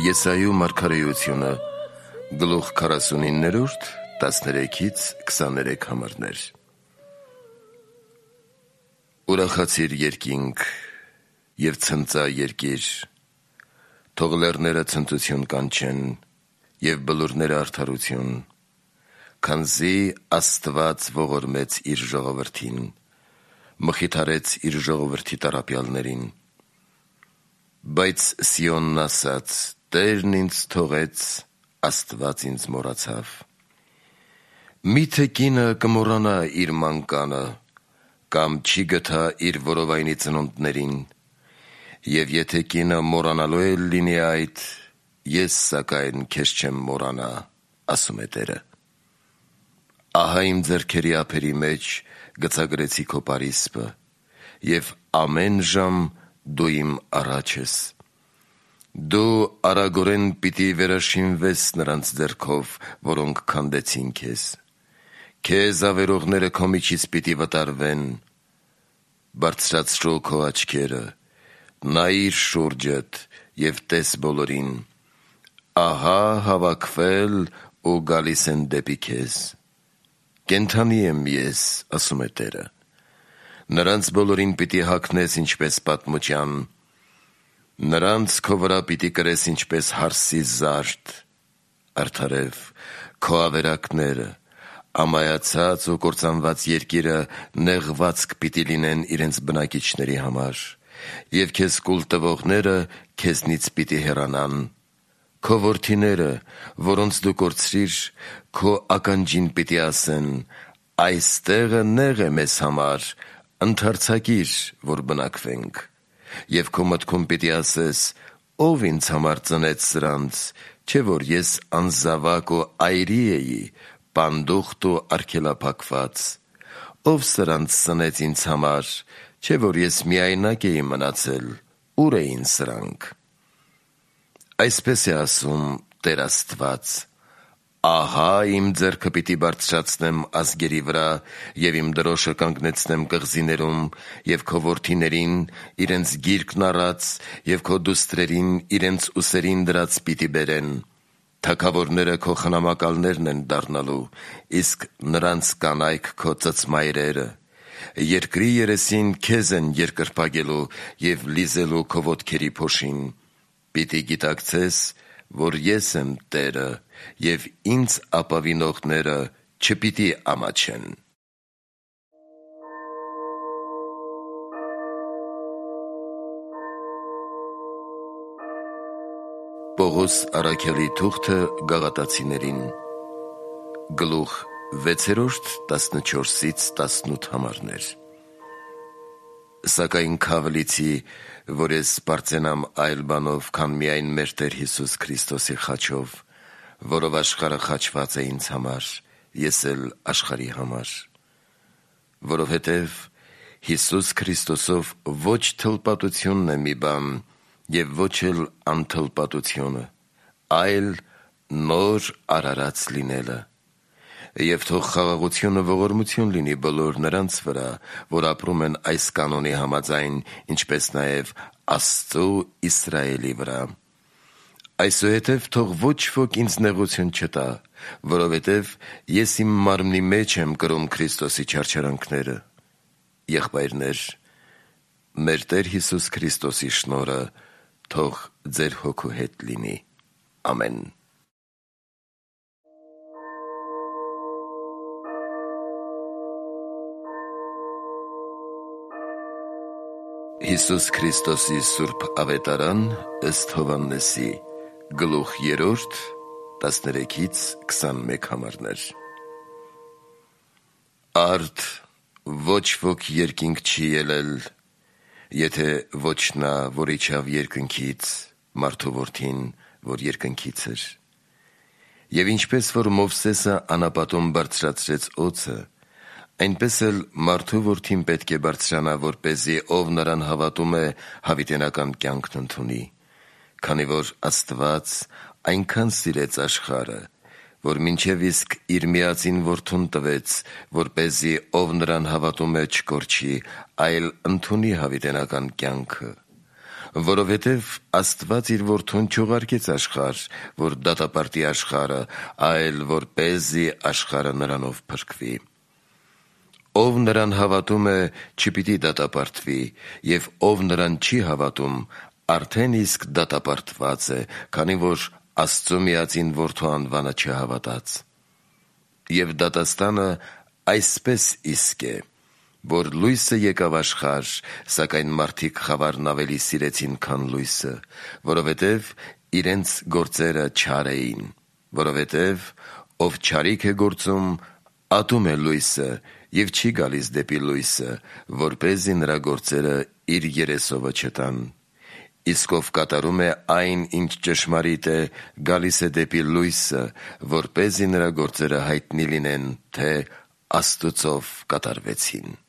Եսայու մարգարեությունը, գլուխ 49, 13-23 համարներ։ Ուրախացիր երկինք և ցնծա երկիր, թող լեռները ցնծություն կանչեն և բլուրները արդարություն, քանզի Աստված ողորմեց իր ժողովրդին, մխիթարեց իր ժողովրդի տառապյալներին։ Բայց Սիոնն ասաց. Տերն ինձ թողեց, Աստված ինձ մոռացավ։ Միթե կինը կմոռանա իր մանկանը, կամ չի գթա իր որովայնի ծնունդներին, և եթե կինը մոռանալու էլ լինի այդ, ես սակայն քեզ չեմ մոռանա, ասում է Տերը։ Ահա իմ ձեռքերի ափերի մեջ գցագրեցի քո պարիսպը, և ամեն ժամ դու իմ առաջ ես։ Դու արագորեն պիտի վերաշինվես նրանց ձեռքով, որոնք քանդեցին քեզ։ Քեզ ավերողները քո միջից պիտի վտարվեն։ Բարձրացրու քո աչքերը, նայիր շուրջդ և տես բոլորին։ Ահա հավաքվել ու գալիս են դեպի քեզ։ Կենդանի եմ ես, ասում է Տերը։ Նրանց բոլորին պիտի հագնես ինչպես պատմության, նրանց քո վրա պիտի կրես ինչպես հարսի զարդ, արդարև քո ավերակները, ամայացած ու կործանված երկիրը նեղվածք պիտի լինեն իրենց բնակիչների համար, և քեզ կուլ տվողները քեզնից պիտի հեռանան։ Քո որդիները, որոնց դու կորցրիր, քո ականջին պիտի ասեն. այս տեղը նեղ է մեզ համար, ընդարձակիր, որ բնակվենք։ Եվ քո մտքում պիտի ասես. ով ինձ համար ծնեց սրանց, չէ որ ես անզավակ ու այրի էի, պանդուխտ ու արգելափակված։ Ով սրանց սնեց ինձ համար, չէ որ ես միայնակ էի մնացել, ուր էին սրանք։ Այսպես է ասում Տեր Աստված. ահա իմ ձեռքը պիտի բարձրացնեմ ազգերի վրա և իմ դրոշը կանգնեցնեմ կղզիներում, և քո որդիներին իրենց գիրկն առած և քո դուստրերին իրենց ուսերին դրած պիտի բերեն։ Թագավորները քո խնամակալներն են դառնալու, իսկ նրանց կանայք քո ծծմայրերը։ Երկրի երեսին քեզ են երկրպագելու և լիզելու քո ոտքերի փոշին։ Պիտի գիտակցես, որ ես եմ Տերը, և ինձ ապավինողները չպիտի ամաչեն։ Պողոս առաքյալի թուղթը Գաղատացիներին, գլուխ 6, 14-18 համարներ։ Սակայն քավլիցի, որ ես սպարծենամ այլ բանով, քան միայն մեր Տեր Հիսուս Քրիստոսի խաչով, որով աշխարհը խաչված է ինձ համար, ես էլ աշխարհի համար։ Որովհետև Հիսուս Քրիստոսով ոչ թլպատությունն է մի բան, և ոչ էլ անթլպատությունը, այլ նոր արարած լինելը։ Եվ թող խաղաղությունը ողորմություն լինի բոլոր նրանց վրա, որ ապրում են այս կանոնի համաձայն, ինչպես նաև Աստծու Իսրայելի վրա։ Այսուհետև թող ոչ ոք ինձ նեղություն չտա, որովհետև ես իմ մարմնի մեջ եմ կրում Քրիստոսի չարչարանքները։ Եղբայրներ, մեր Տեր Հիսուս Քրիստոսի շնորհը թող ձեր հոգու հետ լինի։ Ամեն։ Հիսուս Քրիստոսի Սուրբ Ավետարան ըստ Հովհաննեսի, գլուխ 3, 13-21 համարներ։ Արդ ոչ ոք երկինք չի ելել, եթե ոչ նա, որ իջավ երկնքից, մարդու որդին, որ երկնքից էր։ Եվ ինչպես որ Մովսեսը անապատում բարձրացրեց օձը, այնպես էլ մարդու որդին պետք է բարձրանա, որպեսզի ով նրան հավատում է, հավիտենական կյանքն ընդունի, քանի որ Աստված այնքան սիրեց աշխարհը, որ մինչև իսկ իր միածին որդուն տվեց, որպեսզի ով նրան հավատում է չկորչի, այլ ընդունի հավիտենական կյանքը։ Որովհետև Աստված իր որդուն չուղարկեց աշխարհ, որ դատապարտի աշխարհը, այլ որպեսզի աշխարհը նրանով փրկվի։ Ով նրան հավատում է, չպիտի դատապարտվի, եւ ով նրան չի հավատում, արդեն իսկ դատապարտված է, քանի որ Աստծո միածին որդու անվանը չհավատաց։ Եվ դատաստանը այսպես իսկ է, որ լույսը եկավ աշխարհ, սակայն մարդիկ խավարն ավելի սիրեցին, քան լույսը, որովհետև իրենց գործերը չար էին, որովհետև ով չարիք է գործում, ատում է լույսը և չի գալիս դեպի լույսը, որպեսզի նրա գործերը իր երեսովը չտան։ Իսկ ով կատարում է այն, ինչ ճշմարիտ է, գալիս է դեպի լույսը, որպեսզի նրա գործերը հայտնի լինեն, թե Աստուծով կատարվեցին։